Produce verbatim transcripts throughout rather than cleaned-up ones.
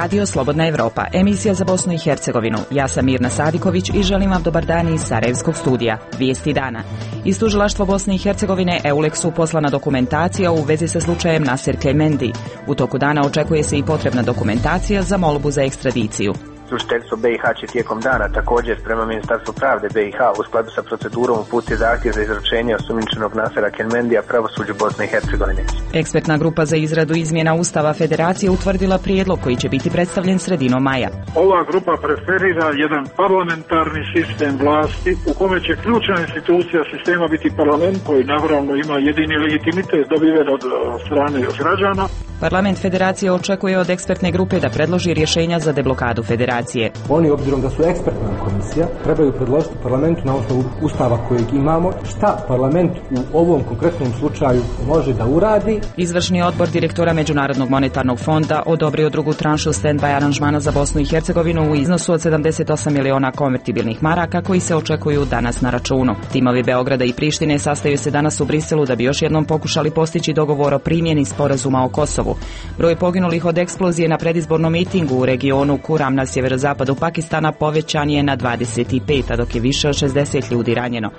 Radio Slobodna Evropa, emisija za Bosnu i Hercegovinu. Ja sam Mirna Sadiković i želim vam dobar dan iz Sarajevskog studija. Vijesti dana. Iz tužilaštva Bosne i Hercegovine Euleksu poslana dokumentacija u vezi sa slučajem Nasir Kemendi. U toku dana očekuje se i potrebna dokumentacija za molbu za ekstradiciju. Tužiteljstvo B i H će tijekom dana također prema Ministarstvu pravde B i H u skladu sa procedurom uputiti zahtjev za izručenje osumnjičenog Nasira Kemendia pravosuđu Bosne i Hercegovine. Ekspertna grupa za izradu izmjena Ustava Federacije utvrdila prijedlog koji će biti predstavljen sredinom maja. Ova grupa preferira jedan parlamentarni sistem vlasti u kome će ključna institucija sistema biti parlament koji naravno ima jedini legitimitet dobiven od strane građana. Parlament Federacije očekuje od ekspertne grupe da predloži rješenja za deblokadu Federacije. Oni, obzirom da su ekspertna komisija, trebaju predložiti parlamentu na osnovu Ustava kojeg imamo šta parlament u ovom konkretnom slučaju može da uradi. Izvršni odbor direktora Međunarodnog monetarnog fonda odobrio drugu tranšu stand-by aranžmana za Bosnu i Hercegovinu u iznosu od sedamdeset osam miliona konvertibilnih maraka koji se očekuju danas na računu. Timovi Beograda i Prištine sastaju se danas u Briselu da bi još jednom pokušali postići dogovor o primjeni sporazuma o Kosovu. Broj poginulih od eksplozije na predizbornom mitingu u regionu Kuram na sjeverozapadu Pakistana povećan je na dvadeset pet, a dok je više od šezdeset ljudi ranjeno.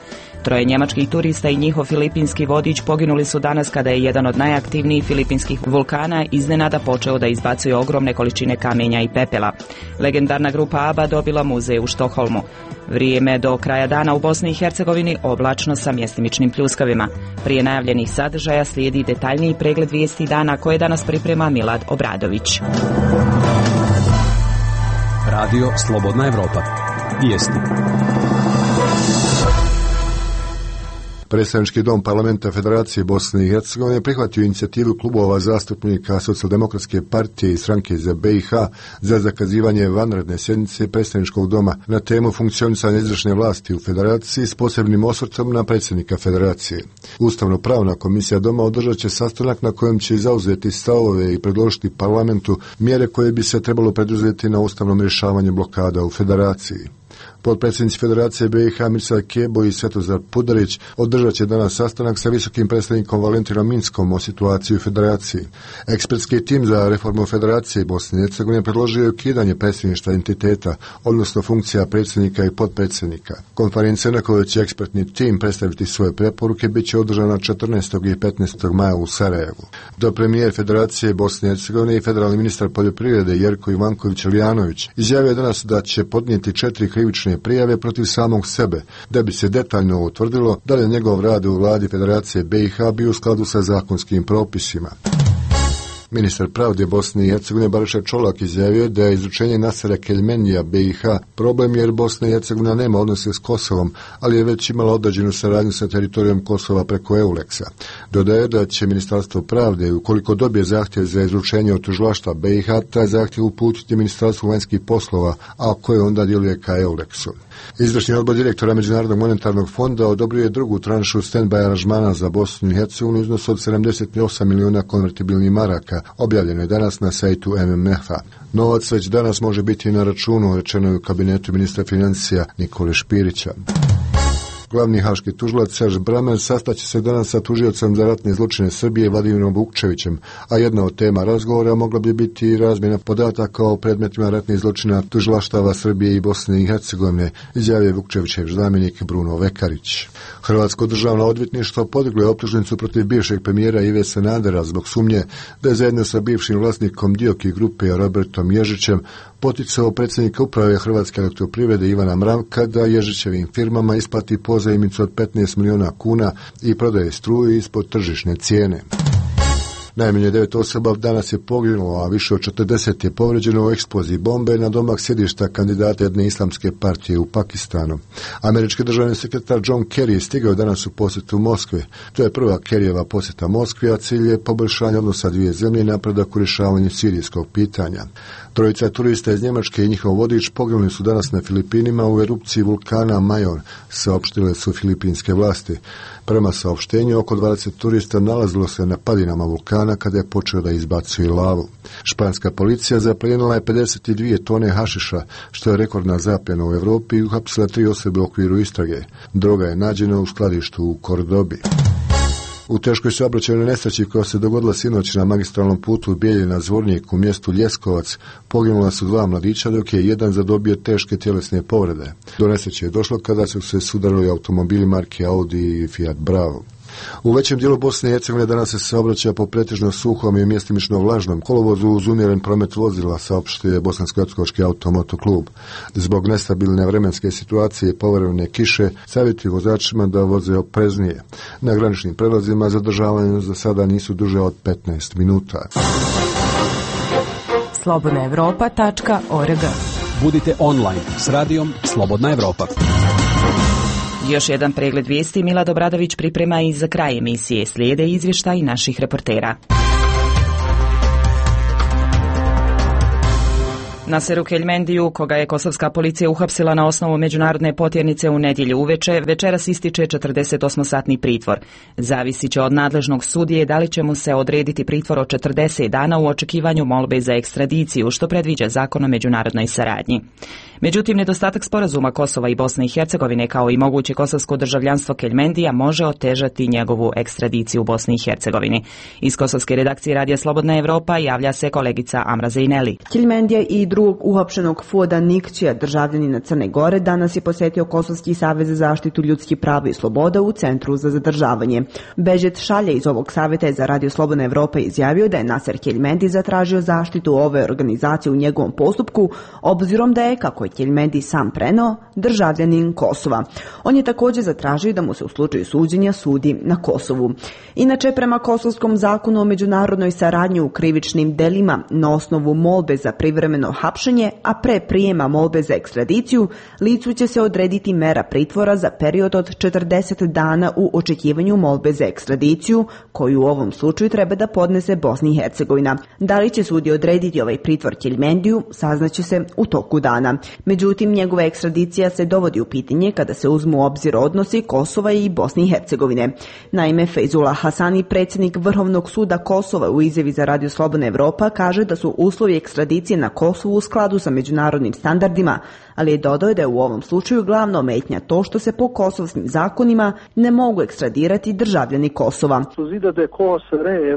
Troje njemačkih turista i njihov filipinski vodič poginuli su danas kada je jedan od najaktivnijih filipinskih vulkana iznenada počeo da izbacuje ogromne količine kamenja i pepela. Legendarna grupa ABBA dobila muzej u Štokholmu. Vrijeme do kraja dana u Bosni i Hercegovini oblačno sa mjestimičnim pljuskavima. Prije najavljenih sadržaja slijedi detaljniji pregled vijesti dana koje danas priprema Milad Obradović. Radio Slobodna Evropa. Vijesti. Predstavnički dom parlamenta Federacije Bosne i Hercegovine prihvatio inicijativu klubova zastupnika Socijaldemokratske partije i stranke za B i H za zakazivanje vanredne sjednice predstavničkog doma na temu funkcionisanja izvršne vlasti u Federaciji s posebnim osvrtom na predsjednika Federacije. Ustavno-pravna komisija doma održat će sastanak na kojem će zauzeti stavove i predložiti parlamentu mjere koje bi se trebalo preduzeti na ustavnom rješavanju blokada u Federaciji. Potpredsjednici Federacije B i H Mirsad Kebo i Svetozar Pudarić održat će danas sastanak sa visokim predstavnikom Valentinom Minskom o situaciji u Federaciji. Ekspertski tim za reformu Federacije Bosne i Hercegovine predložio je ukidanje predsjedništva entiteta, odnosno funkcija predsjednika i potpredsjednika. Konferencija na kojoj će ekspertni tim predstaviti svoje preporuke bit će održana četrnaestog i petnaestog maja u Sarajevu. Do premijer Federacije Bosne i Hercegovine i federalni ministar poljoprivrede Jerko Ivanković-Lijanović izjavio je danas da će podnijeti četiri krivične prijave protiv samog sebe, da bi se detaljno utvrdilo da li njegov rad u vladi Federacije B i H bio u skladu sa zakonskim propisima. Ministar pravde Bosne i Hercegovine Bariša Čolak izjavio da je izručenje Nasira Kemendia B i H problem jer Bosna i Hercegovina nema odnose s Kosovom, ali je već imala određenu saradnju sa teritorijom Kosova preko Euleksa. Dodaje da će Ministarstvo pravde, ukoliko dobije zahtjev za izručenje od tužilaštva B i H, taj zahtjev uputiti Ministarstvu vanjskih poslova, a koje onda djeluje ka Euleksu. Izvršni odbor direktora Međunarodnog monetarnog fonda odobrio je drugu tranšu stand-by aranžmana za Bosnu i Hercegovinu u iznosu od sedamdeset osam miliona konvertibilnih maraka, objavljeno je danas na sajtu M M F-a. Novac već danas može biti na računu, rečeno je u kabinetu ministra financija Nikole Špirića. Glavni haški tužilac Serž Bramer sastaće se danas sa tužiocem za ratne zločine Srbije Vladimirom Vukčevićem, a jedna od tema razgovora mogla bi biti i razmjena podataka o predmetima ratnih zločina tužilaštava Srbije i Bosne i Hercegovine, izjavio Vukčevićev zamjenik Bruno Vekarić. Hrvatsko državno odvjetništvo podiglo je optužnicu protiv bivšeg premijera Ive Sanadera zbog sumnje da je zajedno sa bivšim vlasnikom Dioki grupe Robertom Ježićem poticao predsjednika uprave Hrvatske elektroprivrede Ivana Mravka da Ježićevim firmama isplati pozajmicu od petnaest miliona kuna i prodaje struju ispod tržišne cijene. Najmanje devet osoba danas je poginulo, a više od četrdeset je povređeno u eksploziji bombe na domak sjedišta kandidata jedne islamske partije u Pakistanu. Američki državni sekretar John Kerry stigao danas u posjetu Moskve. To je prva Kerryjeva posjeta Moskvi, a cilj je poboljšanje odnosa dvije zemlje i napredak u rješavanju sirijskog pitanja. Trojica turista iz Njemačke i njihov vodič poginuli su danas na Filipinima u erupciji vulkana Mayon, saopštile su filipinske vlasti. Prema saopštenju, oko dvadeset turista nalazilo se na padinama vulkana kada je počeo da izbacuje lavu. Španska policija zaplijenila je pedeset dvije tone hašiša, što je rekordna zapljena u Europi, i uhapsila tri osobe u okviru istrage. Droga je nađena u skladištu u Kordobi. U teškoj saobraćajnoj nesreći koja se dogodila sinoć na magistralnom putu Bijeljina-Zvornik u mjestu Ljeskovac poginula su dva mladića, dok je jedan zadobio teške tjelesne povrede. Do nesreće je došlo kada su se sudarili automobili marke Audi i Fiat Bravo. U većem dijelu Bosne i Hercegovine danas se saobraća po pretežno suhom i mjestimično vlažnom kolovozu uz umjeren promet vozila, saopštio je Bosansko-hercegovački automoto klub. Zbog nestabilne vremenske situacije i povremene kiše savjetuju vozačima da voze opreznije. Na graničnim prelazima zadržavanja za sada nisu duže od petnaest minuta. slobodna evropa tačka org. Budite online s radijom Slobodna Evropa. Još jedan pregled vijesti Milad Obradović priprema i za kraj emisije. Slijede izvještaj naših reportera. Naseru Keljmendiju, koga je kosovska policija uhapsila na osnovu međunarodne potjernice u nedjelju uveče, večeras ističe četrdesetosmosatni pritvor. Zavisit će od nadležnog sudije da li će mu se odrediti pritvor od četrdeset dana u očekivanju molbe za ekstradiciju, što predviđa zakon o međunarodnoj saradnji. Međutim, nedostatak sporazuma Kosova i Bosne i Hercegovine kao i moguće kosovsko državljanstvo Keljmendija može otežati njegovu ekstradiciju u Bosni i Hercegovini. Iz kosovske redakcije Radija Slobodna Evropa javlja se kolegica Amra Zejneli. Keljmendija i drugog uhapšenog Fuada Nikćija, državljanina Crne Gore, danas je posjetio Kosovski savez za zaštitu ljudskih prava i sloboda u Centru za zadržavanje. Bežet Šalje iz ovog savjeta je za Radio Slobodna Evropa izjavio da je Naser Keljmendi zatražio zaštitu ove organizacije u njegovom postupku, obzirom da je, kako je Keljmendi sam preneo, državljanin Kosova. On je također zatražio da mu se u slučaju suđenja sudi na Kosovu. Inače, prema kosovskom zakonu o međunarodnoj saradnji u krivičnim delima, na osnovu molbe za privremeno hapšenje, a pre prijema molbe za ekstradiciju, licu će se odrediti mera pritvora za period od četrdeset dana u očekivanju molbe za ekstradiciju, koju u ovom slučaju treba da podnese Bosna i Hercegovina. Da li će sudi odrediti ovaj pritvor Keljmendiju, saznaće se u toku dana. Međutim, njegova ekstradicija se dovodi u pitanje kada se uzmu u obzir odnosi Kosova i Bosne i Hercegovine. Naime, Fejzullah Hasani, predsjednik Vrhovnog suda Kosova, u izjavi za Radio Slobodna Evropa kaže da su uslovi ekstradicije na Kosovu u skladu sa međunarodnim standardima, ali je dodao da je u ovom slučaju glavna ometnja to što se po kosovskim zakonima ne mogu ekstradirati državljani Kosova.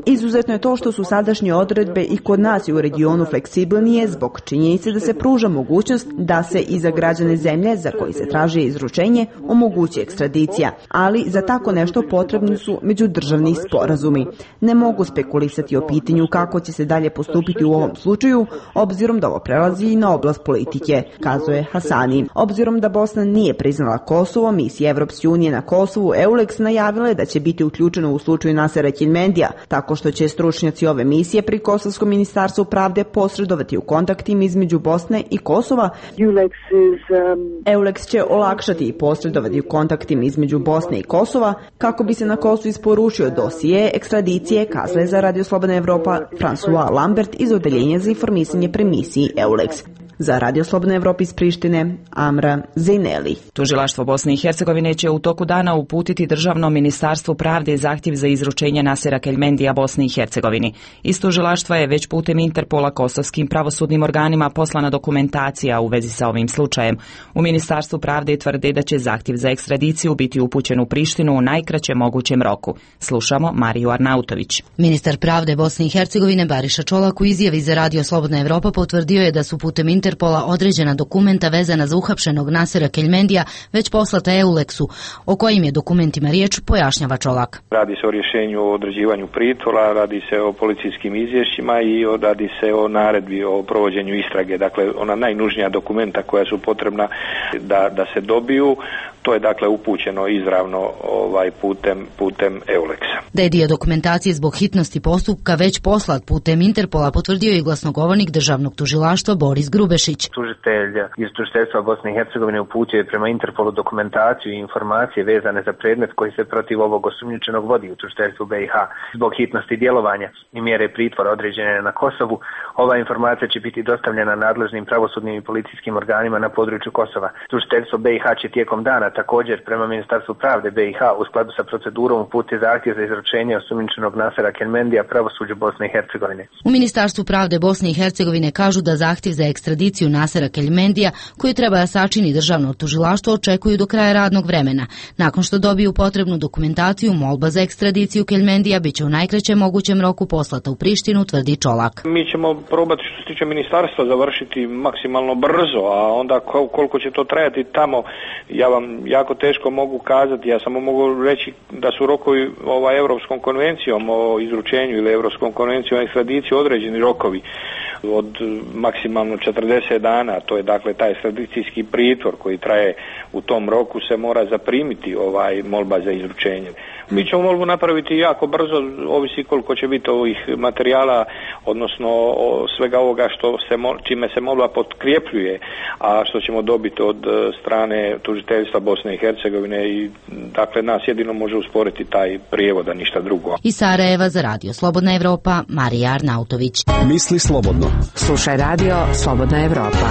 Izuzetno je to što su sadašnje odredbe i kod nas i u regionu fleksibilnije zbog činjenice da se pruža mogućnost da se i za građane zemlje za koji se traži izručenje omogući ekstradicija, ali za tako nešto potrebni su međudržavni sporazumi. Ne mogu spekulisati o pitanju kako će se dalje postupiti u ovom slučaju, obzirom da ovo prelazi i na oblast politike, kazuje Hasani. Obzirom da Bosna nije priznala Kosovo, misija Evropske unije na Kosovu EULEX najavila je da će biti uključeno u slučaju Nasera Keljmendija, tako što će stručnjaci ove misije pri Kosovskom ministarstvu pravde posredovati u kontaktima između Bosne i Kosova. EULEX će olakšati i posredovati u kontaktima između Bosne i Kosova kako bi se na Kosovu isporučio dosije ekstradicije, kazala za Radio Slobodna Evropa François Lambert iz Odeljenja za informisanje pri misiji EULEX. Za Radio Slobodna Evropa iz Prištine, Amra Zejneli. Tužilaštvo Bosne i Hercegovine će u toku dana uputiti Državnom ministarstvu pravde zahtjev za izručenje Nasera Keljmendija Bosni i Hercegovini. Iz tužilaštva je već putem Interpola kosovskim pravosudnim organima poslana dokumentacija u vezi sa ovim slučajem. U Ministarstvu pravde tvrde da će zahtjev za ekstradiciju biti upućen u Prištinu u najkraćem mogućem roku. Slušamo Mariju Arnautović. Ministar pravde Bosne i Hercegovine Bariša Čolak u izjavi za Radio Slobodna Evropa potvrdio je da su putem Interpola određena dokumenta vezana za uhapšenog Nasera Keljmendija već poslata EULEX-u. O kojim je dokumentima riječ, pojašnjava Čolak. Radi se o rješenju o određivanju pritvora, radi se o policijskim izvješćima i radi se o naredbi o provođenju istrage. Dakle, ona najnužnija dokumenta koja su potrebna da, da se dobiju, to je dakle upućeno izravno ovaj putem, putem EULEX-a. Da je dio dokumentacije zbog hitnosti postupka već poslat putem Interpola potvrdio i glasnogovornik državnog tužilaštva Boris Grubešić. Tužitelj iz tužiteljstva Bosne i Hercegovine uputio je prema Interpolu dokumentaciju i informacije vezane za predmet koji se protiv ovog osumnjičenog vodi u tužiteljstvu B i H. Zbog hitnosti djelovanja i mjere pritvora određene na Kosovu, ova informacija će biti dostavljena nadležnim pravosudnim i policijskim organima na području Kosova. Tužiteljstvo B i H će tijekom dana također prema Ministarstvu pravde B i H u skladu sa procedurom uputi zahtjev za izručenje osumnjičenog Nasera Kelmendija pravosuđu Bosne i Hercegovine. U Ministarstvu pravde Bosne i Hercegovine kažu da zahtjev za ekstradiciju Nasera Kelmendija, koji treba da sačini državno tužilaštvo, očekuju do kraja radnog vremena. Nakon što dobiju potrebnu dokumentaciju, molba za ekstradiciju Kelmendija biće u najkraćem mogućem roku poslata u Prištinu, tvrdi Čolak. Mi ćemo probati što se tiče ministarstva završiti maksimalno brzo, a onda koliko će to trajati tamo, ja vam jako teško mogu kazati. Ja samo mogu reći da su rokovi ovaj Europskom konvencijom o izručenju ili Europskom konvencijom o ekstradiciji određeni rokovi od maksimalno četrdeset dana. To je dakle taj ekstradicijski pritvor koji traje u tom roku, se mora zaprimiti ovaj molba za izručenje. Mi ćemo molbu napraviti jako brzo, ovisi koliko će biti ovih materijala, odnosno svega ovoga što se, čime se molba potkrepljuje, a što ćemo dobiti od strane tužiteljstva Bosne i Hercegovine, i dakle nas jedino može usporiti taj prijevod, a ništa drugo. Iz Sarajeva za Radio Slobodna Evropa, Marija Arnautović. Misli slobodno. Slušaj Radio Slobodna Evropa.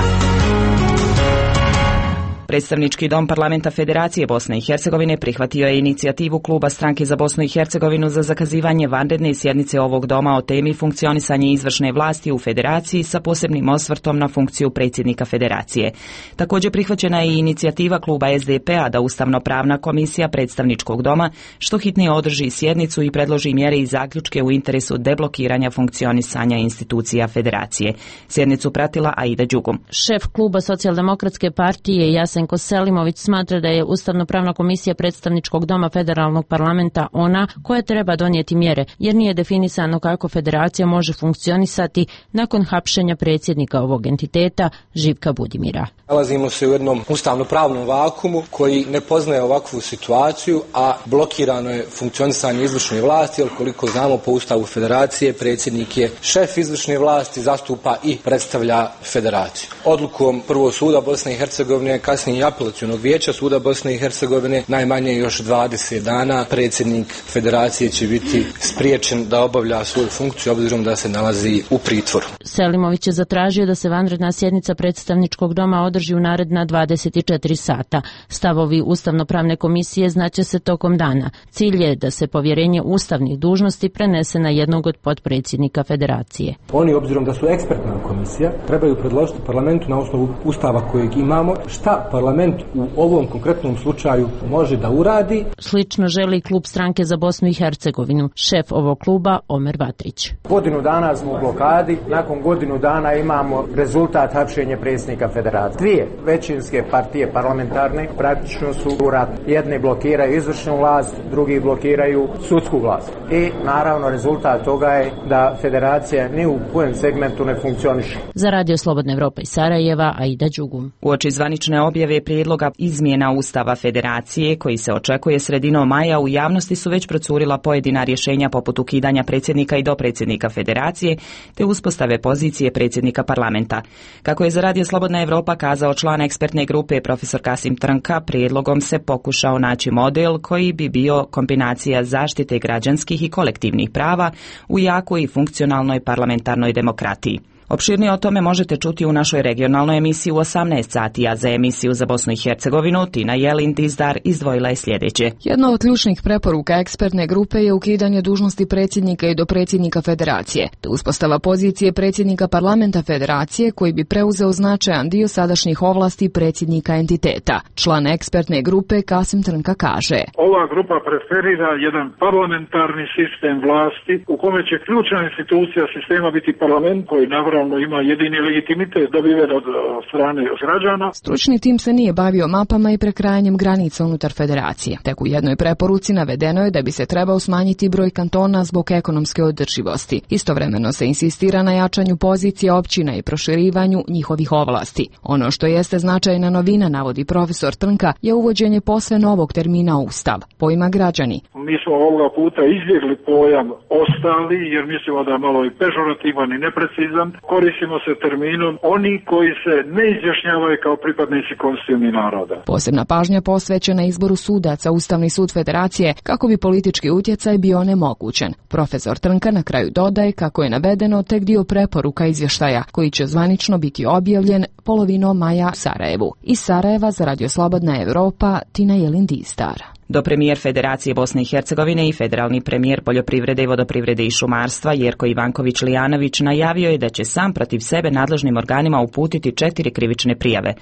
Predstavnički dom Parlamenta Federacije Bosne i Hercegovine prihvatio je inicijativu Kluba Stranke za Bosnu i Hercegovinu za zakazivanje vanredne sjednice ovog doma o temi funkcionisanje izvršne vlasti u Federaciji sa posebnim osvrtom na funkciju predsjednika Federacije. Također prihvaćena je i inicijativa Kluba S D P-a da Ustavno-pravna komisija Predstavničkog doma što hitnije održi sjednicu i predloži mjere i zaključke u interesu deblokiranja funkcionisanja institucija Federacije. Sjednicu pratila Aida Đugum. Šef Kluba Socijaldemokratske partije Jasenko Selimović smatra da je Ustavno-pravna komisija Predstavničkog doma Federalnog parlamenta ona koja treba donijeti mjere, jer nije definisano kako Federacija može funkcionisati nakon hapšenja predsjednika ovog entiteta Živka Budimira. Nalazimo se u jednom ustavno-pravnom vakumu koji ne poznaje ovakvu situaciju, a blokirano je funkcionisanje izvršne vlasti, jer koliko znamo po Ustavu Federacije predsjednik je šef izvršne vlasti, zastupa i predstavlja Federaciju. Odlukom Prvog suda Bosne i Hercegovine, kasnije i Apelacionog vijeća suda Bosne i Hercegovine, najmanje još dvadeset dana predsjednik Federacije će biti spriječen da obavlja svoju funkciju obzirom da se nalazi u pritvoru. Selimović je zatražio da se vanredna sjednica Predstavničkog doma održi u naredna dvadeset četiri sata. Stavovi Ustavno-pravne komisije znaće se tokom dana. Cilj je da se povjerenje ustavnih dužnosti prenese na jednog od potpredsjednika Federacije. Oni, obzirom da su ekspertna komisija, trebaju predložiti parlamentu na osnovu ustava kojeg imamo šta parlament u ovom konkretnom slučaju može da uradi. Slično želi Klub Stranke za Bosnu i Hercegovinu. Šef ovog kluba Omer Batrić. Godinu dana smo u blokadi, nakon godinu dana imamo rezultat hapšenja predsjednika Federacije. Dvije većinske partije parlamentarne praktično su u ratu. Jedni blokiraju izvršnu vlast, drugi blokiraju sudsku vlast. I naravno rezultat toga je da Federacija ni u kojem segmentu ne funkcioniše. Za Radio Slobodna Evropa iz Sarajeva, Aida Đugum. Uoči zvanične objave prijedloga izmjena Ustava Federacije, koji se očekuje sredinom maja, u javnosti su već procurila pojedina rješenja poput ukidanja predsjednika i dopredsjednika Federacije, te uspostave pozicije predsjednika parlamenta. Kako je za Radio Slobodna Evropa kazao član ekspertne grupe profesor Kasim Trnka, prijedlogom se pokušao naći model koji bi bio kombinacija zaštite građanskih i kolektivnih prava u jakoj i funkcionalnoj parlamentarnoj demokratiji. Opširnije o tome možete čuti u našoj regionalnoj emisiji u osamnaest sati, a za emisiju za Bosnu i Hercegovinu Tina Jelin Dizdar izdvojila je sljedeće. Jedna od ključnih preporuka ekspertne grupe je ukidanje dužnosti predsjednika i dopredsjednika Federacije, te uspostava pozicije predsjednika parlamenta Federacije koji bi preuzeo značajan dio sadašnjih ovlasti predsjednika entiteta. Član ekspertne grupe Kasim Trnka kaže: Ova grupa preferira jedan parlamentarni sistem vlasti u kome će ključna institucija sistema biti parlament koji navrlo ima jedini legitimitet dobiven od strane građana. Stručni tim se nije bavio mapama i prekrajanjem granica unutar Federacije. Tek u jednoj preporuci navedeno je da bi se trebao smanjiti broj kantona zbog ekonomske održivosti. Istovremeno se insistira na jačanju pozicije općina i proširivanju njihovih ovlasti. Ono što jeste značajna novina, navodi profesor Trnka, je uvođenje posve novog termina Ustav, pojma građani. Mi smo ovoga puta izbjegli pojam ostali jer mislimo da je malo i pežorativan i neprecizan. koristimo se terminom oni koji se ne izjašnjavaju kao pripadnici konstitutivnih naroda. Posebna pažnja posvećena izboru sudaca Ustavni sud Federacije kako bi politički utjecaj bio onemogućen. Profesor Trnka na kraju dodaje kako je navedeno tek dio preporuka izvještaja koji će zvanično biti objavljen polovinom maja u Sarajevu. Iz Sarajeva za Radio Slobodna Evropa, Tina Jelin-Distar. Do premijer Federacije Bosne i Hercegovine i federalni premijer poljoprivrede i vodoprivrede i šumarstva Jerko Ivanković Lijanović najavio je da će sam protiv sebe nadležnim organima uputiti četiri krivične prijave.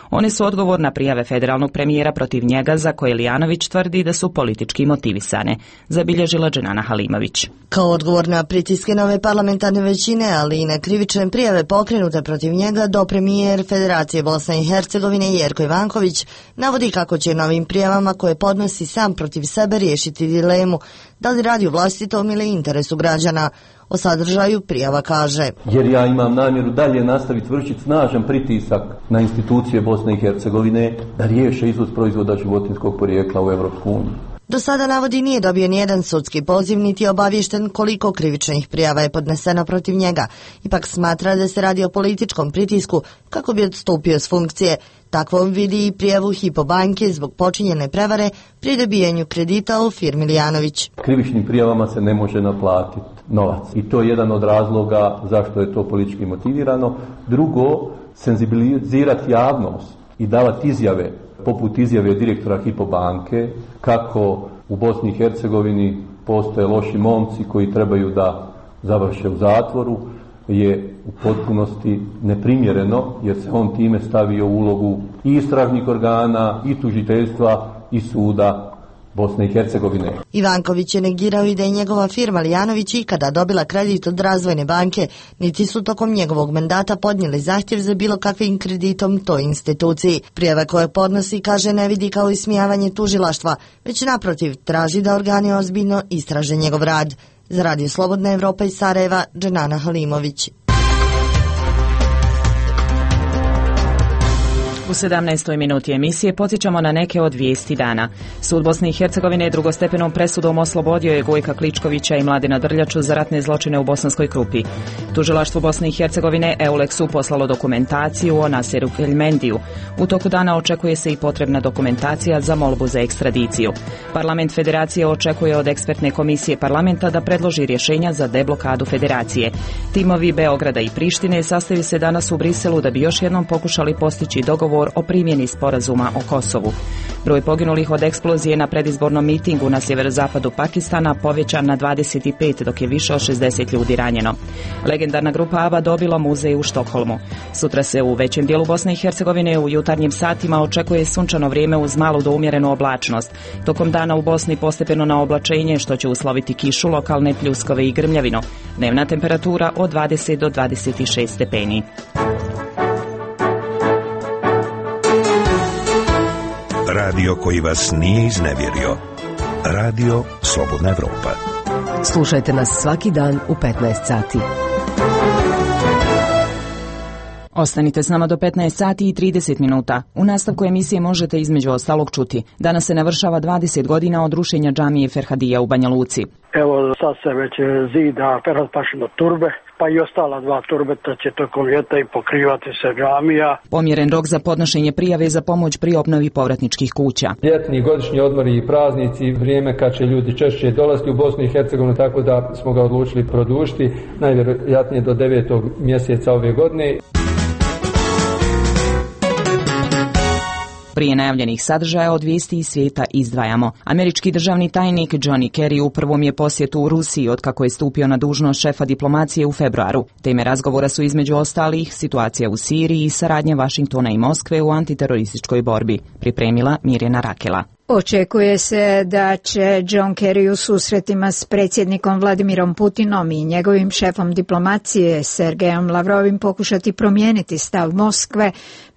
One su odgovor na prijave federalnog premijera protiv njega za koje Lijanović tvrdi da su politički motivisane, zabilježila Dženana Halimović. Kao odgovor na pritiske nove parlamentarne većine, ali i na krivične prijave pokrenute protiv njega, do premijer Federacije Bosne i Hercegovine Jerko Ivanković navodi kako će novim prijavama koje podnosi sam protiv sebe riješiti dilemu da li radi u vlastitom ili interesu građana. O sadržaju prijava kaže: jer ja imam namjeru dalje nastaviti vršiti snažan pritisak na institucije Bosne i Hercegovine da riješe izvoz proizvoda životinjskog porijekla u Europsku uniju. Do sada navodi nije dobio nijedan sudski poziv niti je obaviješten koliko krivičnih prijava je podneseno protiv njega. Ipak smatra da se radi o političkom pritisku kako bi odstupio s funkcije. Takvom vidi i prijavu Hypo banke zbog počinjene prevare pri dobijanju kredita u firmi Lijanović. Krivičnim prijavama se ne može naplatiti novac i to je jedan od razloga zašto je to politički motivirano. Drugo, senzibilizirati javnost i davati izjave poput izjave direktora Hypo banke kako u Bosni i Hercegovini postoje loši momci koji trebaju da završe u zatvoru je u potpunosti neprimjereno, jer se on time stavio u ulogu i istražnih organa, i tužiteljstva, i suda Bosne i Hercegovine. Ivanković je negirao i da je njegova firma Lijanović ikada dobila kredit od Razvojne banke, niti su tokom njegovog mandata podnijeli zahtjev za bilo kakvim kreditom toj instituciji. Prijava koje podnosi, kaže, ne vidi kao ismijavanje tužilaštva, već naprotiv traži da organi ozbiljno istraže njegov rad. Za Radio Slobodna Evropa iz Sarajeva, Dženana Halimović. U sedamnaestoj minuti emisije podsjećamo na neke od vijesti dana. Sud Bosne i Hercegovine drugostepenom presudom oslobodio je Gojka Kličkovića i Mladena Drljaču za ratne zločine u Bosanskoj Krupi. Tužilaštvo Bosne i Hercegovine Euleksu poslalo dokumentaciju o Naseru Keljmendiju. U toku dana očekuje se i potrebna dokumentacija za molbu za ekstradiciju. Parlament Federacije očekuje od ekspertne komisije parlamenta da predloži rješenja za deblokadu Federacije. Timovi Beograda i Prištine sastaju se danas u Briselu da bi još jednom pokušali postići dogovor o primjeni sporazuma o Kosovu. Broj poginulih od eksplozije na predizbornom mitingu na sjeverozapadu Pakistana povećan na dvadeset pet, dok je više od šezdeset ljudi ranjeno. Legendarna grupa ABBA dobila muzej u Štokholmu. Sutra se u većem dijelu Bosne i Hercegovine u jutarnjim satima očekuje sunčano vrijeme uz malu do umjerenu oblačnost. Tokom dana u Bosni postepeno na oblačenje, što će usloviti kišu, lokalne pljuskove i grmljavinu. Dnevna temperatura od dvadeset do dvadeset šest stepeni. Radio koji vas nije iznevjerio. Radio Slobodna Evropa. Slušajte nas svaki dan u petnaest sati. Ostanite s nama do petnaest sati i trideset minuta. U nastavku emisije možete između ostalog čuti. Danas se navršava dvadeset godina od rušenja džamije Ferhadija u Banja Luci. Evo sad se već zida Ferhat-pašino turbe, pa i ostala dva turbeta će tokom ljeta i pokrivati se džamija. Pomjeren rok za podnošenje prijave za pomoć pri obnovi povratničkih kuća. Ljetni godišnji odmori i praznici, vrijeme kad će ljudi češće dolaziti u Bosnu i Hercegovinu, tako da smo ga odlučili produžiti, najvjerojatnije do devetog mjeseca ove godine. Prije najavljenih sadržaja od vijesti iz svijeta izdvajamo. Američki državni tajnik Johnny Kerry u prvom je posjetu u Rusiji otkako je stupio na dužnost šefa diplomacije u februaru. Teme razgovora su između ostalih situacija u Siriji i saradnje Vašingtona i Moskve u antiterorističkoj borbi. Pripremila Mirjana Rakela. Očekuje se da će John Kerry u susretima s predsjednikom Vladimirom Putinom i njegovim šefom diplomacije Sergejom Lavrovim pokušati promijeniti stav Moskve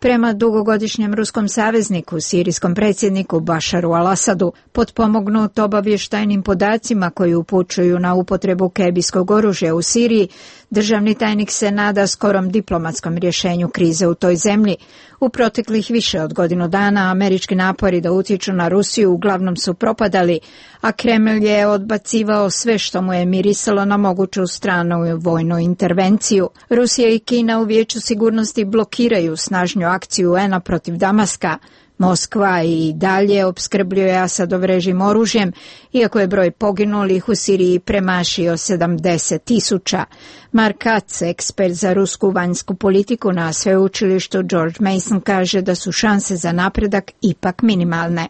prema dugogodišnjem ruskom savezniku, sirijskom predsjedniku Bašaru al-Asadu, potpomognut obavještajnim podacima koji upućuju na upotrebu kemijskog oružja u Siriji. Državni tajnik se nada skorom diplomatskom rješenju krize u toj zemlji. U proteklih više od godinu dana američki napori da utječu na Rusiju uglavnom su propadali, a Kremlj je odbacivao sve što mu je mirisalo na moguću stranu vojnu intervenciju. Rusija i Kina u Vijeću sigurnosti blokiraju snažnju akciju U N-a protiv Damaska. Moskva i dalje opskrbljuje Asadov režim oružjem, iako je broj poginulih u Siriji premašio sedamdeset tisuća. Mark Katz, ekspert za rusku vanjsku politiku na sveučilištu George Mason, kaže da su šanse za napredak ipak minimalne.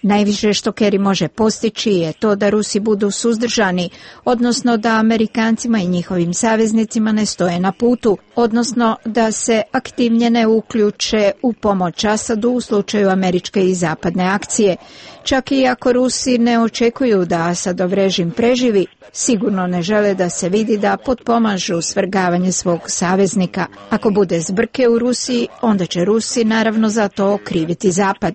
Najviše što Kerry može postići je to da Rusi budu suzdržani, odnosno da Amerikancima i njihovim saveznicima ne stoje na putu, odnosno da se aktivnije ne uključe u pomoć Asadu u slučaju američke i zapadne akcije. Čak i ako Rusi ne očekuju da Asadov režim preživi, sigurno ne žele da se vidi da potpomažu svrgavanje svog saveznika. Ako bude zbrke u Rusiji, onda će Rusi naravno za to okriviti Zapad.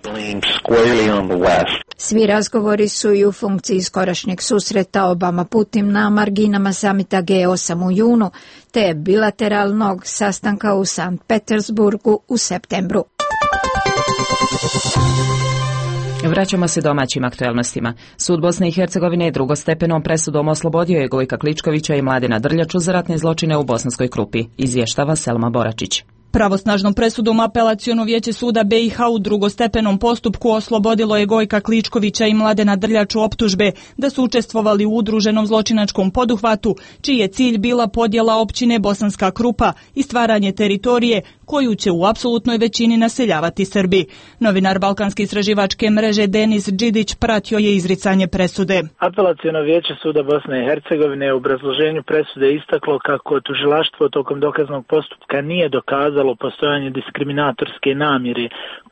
Svi razgovori su i u funkciji skorašnjeg susreta Obama-Putin na marginama samita G osam u junu, te bilateralnog sastanka u Sankt Petersburgu u septembru. Vraćamo se domaćim aktuelnostima. Sud Bosne i Hercegovine drugostepenom presudom oslobodio je Gojka Kličkovića i Mladena Drljaču za ratne zločine u Bosanskoj Krupi, izvještava Selma Boračić. Pravosnažnom presudom Apelaciono vijeće suda B i H u drugostepenom postupku oslobodilo je Gojka Kličkovića i Mladena Drljaču optužbe da su učestvovali u udruženom zločinačkom poduhvatu, čiji je cilj bila podjela općine Bosanska Krupa i stvaranje teritorije koju će u apsolutnoj većini naseljavati Srbi. Novinar Balkanske istraživačke mreže Denis Đidić pratio je izricanje presude. Apelaciono vijeće suda Bosne i Hercegovine u obrazloženju presude istaklo kako tužilaštvo tokom dokaznog postupka nije dokazalo postojanje diskriminatorske namjere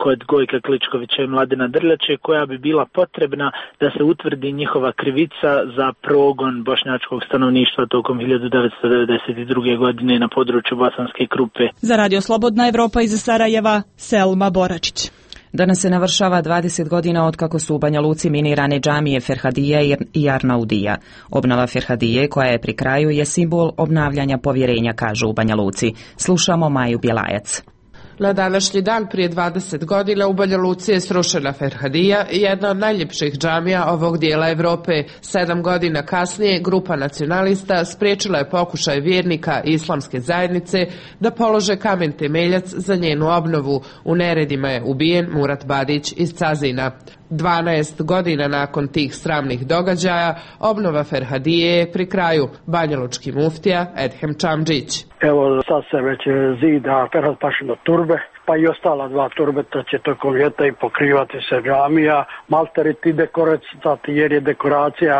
kod Gojka Kličkovića i Mladena Drljače, koja bi bila potrebna da se utvrdi njihova krivica za progon bošnjačkog stanovništva tokom hiljadu devetsto devedeset druge. godine na području Bosanske Krupe. Za Radio Slobodna Evropa iz Sarajeva, Selma Boračić. Danas se navršava dvadeset godina od kako su u Banja Luci minirane džamije Ferhadije i Arnaudija. Obnova Ferhadije, koja je pri kraju, je simbol obnavljanja povjerenja, kažu u Banja Luci. Slušamo Maju Bjelajac. Na današnji dan prije dvadeset godina u Banja Luci je srušena Ferhadija, jedna od najljepših džamija ovog dijela Evrope. Sedam godina kasnije grupa nacionalista spriječila je pokušaj vjernika islamske zajednice da polože kamen temeljac za njenu obnovu. U neredima je ubijen Murat Badić iz Cazina. dvanaest godina nakon tih sramnih događaja obnova Ferhadije je pri kraju. Banjalučki muftija Edhem Čamdžić. Evo sad se već zida Ferhat Pašino turbe, pa i ostala dva turbeta će tokom ljeta i pokrivati se džamija, malteriti dekoracati jer je dekoracija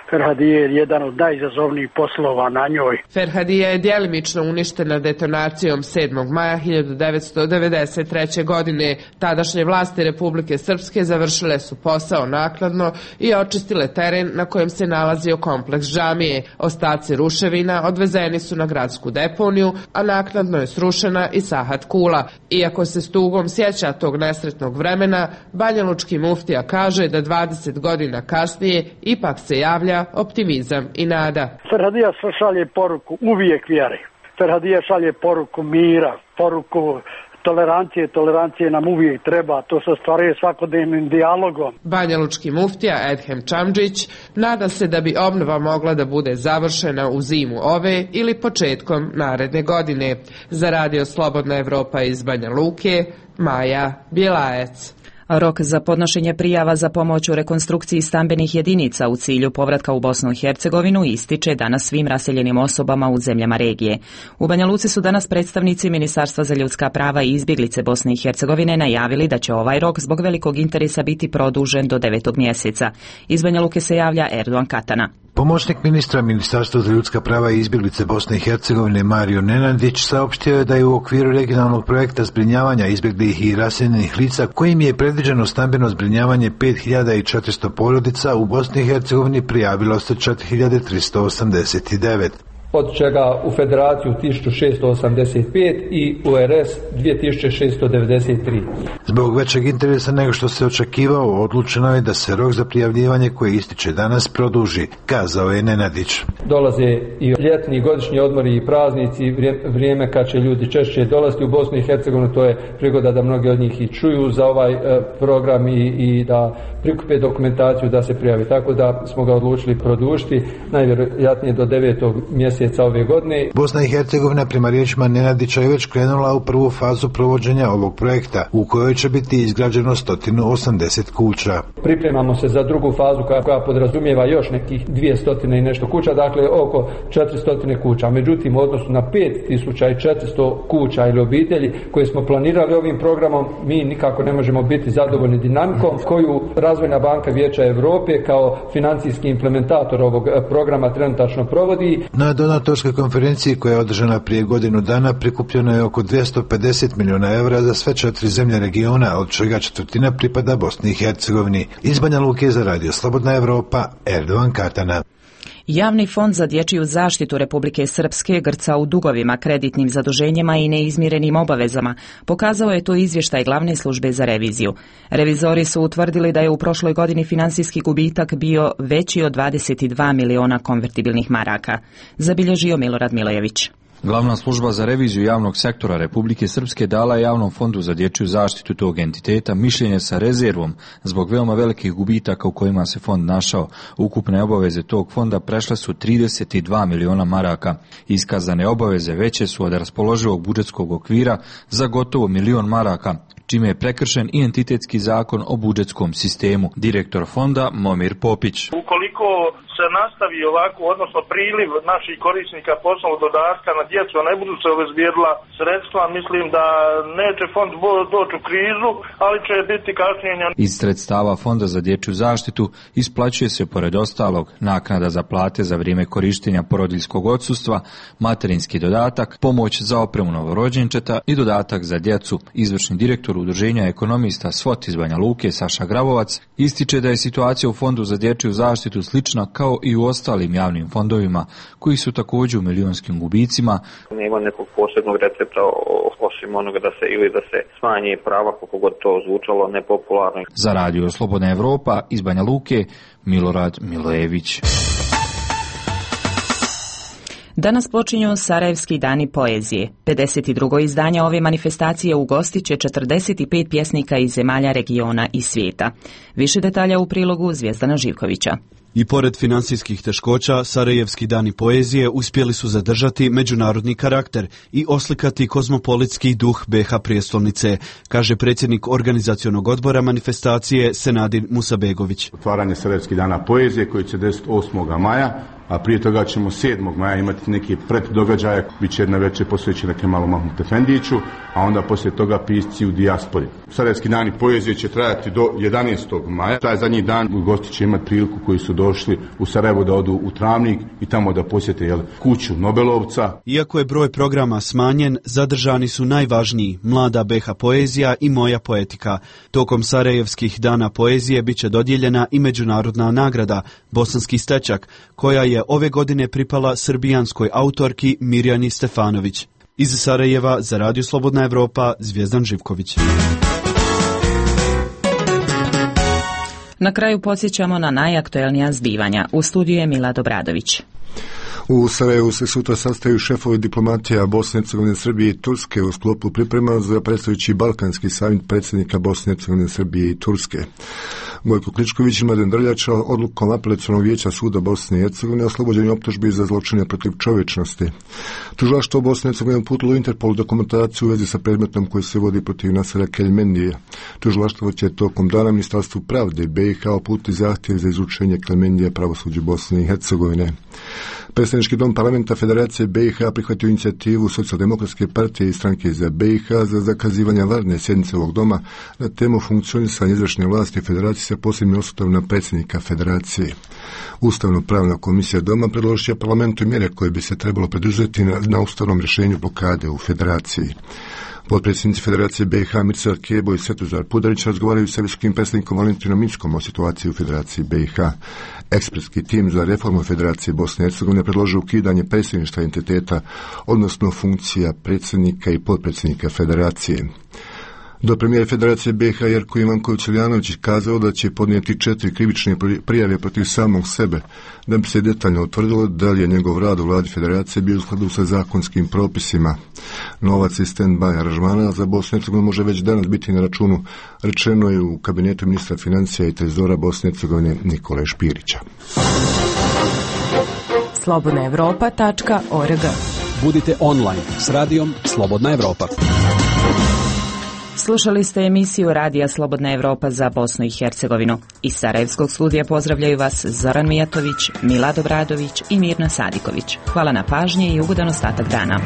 Ferhadije jedan od najizazovnijih poslova na njoj. Ferhadija je djelimično uništena detonacijom sedmog maja hiljadu devetsto devedeset treće. godine. Tadašnje vlasti Republike Srpske završile su posao naknadno i očistile teren na kojem se nalazio kompleks džamije. Ostaci ruševina odvezeni su na gradsku deponiju, a naknadno je srušena i Sahat Kula. Iako se s tugom sjeća tog nesretnog vremena, banjalučki muftija kaže da dvadeset godina kasnije ipak se javlja optimizam i nada. Ferhadija šalje poruku uvijek vjere. Ferhadija šalje poruku mira, poruku tolerancije. Tolerancije nam uvijek treba, to se ostvaruje svakodnevnim dijalogom. Banjalučki muftija Edhem Čamdžić nada se da bi obnova mogla da bude završena u zimu ove ili početkom naredne godine. Za Radio Slobodna Evropa iz Banja Luke, Maja Bjelajac. Rok za podnošenje prijava za pomoć u rekonstrukciji stambenih jedinica u cilju povratka u Bosnu i Hercegovinu ističe danas svim raseljenim osobama u zemljama regije. U Banja Luci su danas predstavnici Ministarstva za ljudska prava i izbjeglice Bosne i Hercegovine najavili da će ovaj rok zbog velikog interesa biti produžen do devetog mjeseca. Iz Banja Luke se javlja Erdogan Katana. Pomoćnik ministra Ministarstva za ljudska prava i izbjeglice Bosne i Hercegovine Mario Nenadić saopštio je da je u okviru regionalnog projekta zbrinjavanja izbjeglih i raseljenih lica, kojim je predviđeno stambeno zbrinjavanje pet hiljada četiristo porodica, u Bosni i Hercegovini prijavilo se četiri hiljade tristo osamdeset devet. od čega u Federaciju tisuću šessto osamdeset pet i u R S dvije tisuće šessto devedeset tri. Zbog većeg interesa nego što se očekivao, odlučeno je da se rok za prijavljivanje koje ističe danas produži, kazao je Nenadić. Dolaze i ljetni, godišnji odmori i praznici, vrijeme kad će ljudi češće dolaziti u Bosnu i Hercegovinu, to je prigoda da mnogi od njih i čuju za ovaj e, program i, i da prikupe dokumentaciju da se prijavi. Tako da smo ga odlučili produžiti, najvjerojatnije do devetog mjeseca ove godine. Bosna i Hercegovina prema riječima Nenadića je već krenula u prvu fazu provođenja ovog projekta, u kojoj će biti izgrađeno sto osamdeset kuća. Pripremamo se za drugu fazu koja, koja podrazumijeva još nekih dvjesto i nešto kuća, dakle oko četiristo kuća. Međutim, u odnosu na pet tisuća četiristo kuća ili obitelji koje smo planirali ovim programom, mi nikako ne možemo biti zadovoljni dinamikom koju Razvojna banka Vijeća Europe kao financijski implementator ovog programa trenutačno provodi. Na donatorskoj konferenciji koja je održana prije godinu dana prikupljeno je oko dvjesto pedeset milijuna evra za sve četiri zemlje regiona, od čega četvrtina pripada Bosni i Hercegovini. Iz Banja Luke za Radio Slobodna Evropa, Erdovan Katana. Javni fond za dječju zaštitu Republike Srpske grca u dugovima, kreditnim zaduženjima i neizmirenim obavezama. Pokazao je to izvještaj glavne službe za reviziju. Revizori su utvrdili da je u prošloj godini financijski gubitak bio veći od dvadeset dva miliona konvertibilnih maraka. Zabilježio Milorad Milojević. Glavna služba za reviziju javnog sektora Republike Srpske dala je Javnom fondu za dječju zaštitu tog entiteta mišljenje sa rezervom zbog veoma velikih gubitaka u kojima se fond našao. Ukupne obaveze tog fonda prešle su trideset dva miliona maraka. Iskazane obaveze veće su od raspoloživog budžetskog okvira za gotovo milion maraka, čime je prekršen i entitetski zakon o budžetskom sistemu. Direktor fonda Momir Popić. Ukoliko se nastavi ovako, odnosno priliv naših korisnika poslovnog dodatka na djecu, a ne budu se obezbijedila sredstva, mislim da neće fond doći u krizu, ali će biti kašnjenja. Iz sredstava Fonda za dječju zaštitu isplaćuje se pored ostalog naknada za plate za vrijeme korištenja porodiljskog odsustva, materinski dodatak, pomoć za opremu novorođenčeta i dodatak za djecu. Izvršni direktor Udruženja ekonomista SWOT iz Banja Luke Saša Gravovac ističe da je situacija u Fondu za dječju zaštitu slična kao i u ostalim javnim fondovima, koji su također u milionskim gubicima. Nema nekog posebnog recepta osim onoga da se ili da se smanje prava, koliko god to zvučalo nepopularno. Za Radio Slobodna Evropa iz Banja Luke, Milorad Milojević. Danas počinju Sarajevski dani poezije. pedeset drugo izdanje ove manifestacije ugostit će četrdeset pet pjesnika iz zemalja regiona i svijeta. Više detalja u prilogu Zvijezdana Živkovića. I pored financijskih teškoća, Sarajevski dani poezije uspjeli su zadržati međunarodni karakter i oslikati kozmopolitski duh B iH prijestolnice, kaže predsjednik organizacionog odbora manifestacije Senadin Musabegović. Otvaranje Sarajevskih dana poezije koji će desiti osmoga maja, a prije toga ćemo sedmog maja imati neki preddogađaje, bit će jedna večer posvećena Kemalu Mahmut Efendiću, a onda poslije toga pisci u dijaspori. Sarajevski dani poezije će trajati do jedanaestog maja. Taj zadnji dan gosti će imati priliku koji su došli u Sarajevo da odu u Travnik i tamo da posjete jel, kuću Nobelovca. Iako je broj programa smanjen, zadržani su najvažniji Mlada B iH poezija i Moja poetika. Tokom Sarajevskih dana poezije bit će dodijeljena i međunarodna nagrada Bosanski stečak, koja je ove godine pripala srbijanskoj autorki Mirjani Stefanović. Iz Sarajeva za Radio Slobodna Evropa, Zvijezdan Živković. Na kraju podsjećamo na najaktuelnija zbivanja. U studiju je Mila Dobradović. U Sarajevu se sutra sastaju šefovi diplomatija Bosne i Hercegovine, Srbije i Turske u sklopu priprema za predstojeći Balkanski samit predsjednika Bosne i Hercegovine, Srbije i Turske. Gojko Kličković i Mladen Drljača odlukom Apelacionog vijeća suda Bosne i Hercegovine oslobođenje optužbi za zločine protiv čovječnosti. Tužilaštvo Bosne i Hercegovine uputilo Interpol dokumentaciju u vezi sa predmetom koji se vodi protiv Nasera Keljmendije. Tužilaštvo će tokom dana Ministarstvu pravde B iH uputiti zahtjev za izručenje Keljmendije pravosuđu Bosne i Hercegovine. Predstavnički dom parlamenta Federacije B iH prihvatio inicijativu Socijaldemokratske partije i stranke za B iH za zakazivanje varne sjednice ovog doma na temu funkcionisanja izvršne vlasti Federacije sa posebnim osvrtom na predsjednika federacije. Ustavno-pravna komisija Doma predložit će parlamentu mjere koje bi se trebalo preduzeti na, na ustavnom rješenju blokade u federaciji. Potpredsjednici Federacije B i H Mirsad Kebo i Svetozar Pudarić razgovaraju sa visokim predstavnikom Valentinom Inckom o situaciji u Federaciji B i H. Ekspertski tim za reformu Federacije Bosne i Hercegovine predložio ukidanje predsjedništva entiteta, odnosno funkcija predsjednika i potpredsjednika Federacije. Do premijer Federacije B i H Jerko Ivanković-Iljanović kazao da će podnijeti četiri krivične prijave protiv samog sebe, da bi se detaljno utvrdilo da li je njegov rad u vladi Federacije bio u skladu sa zakonskim propisima. Novac iz stand-by aranžmana za Bosnu i Hercegovinu može već danas biti na računu, rečeno je u kabinetu ministra financija i trezora Bosne i Hercegovine Nikole Špirića. slobodna evropa tačka org. Budite online s radijom Slobodna Evropa. Slušali ste emisiju Radija Slobodna Evropa za Bosnu i Hercegovinu. Iz Sarajevskog studija pozdravljaju vas Zoran Mijatović, Milad Obradović i Mirna Sadiković. Hvala na pažnji i ugodan ostatak dana.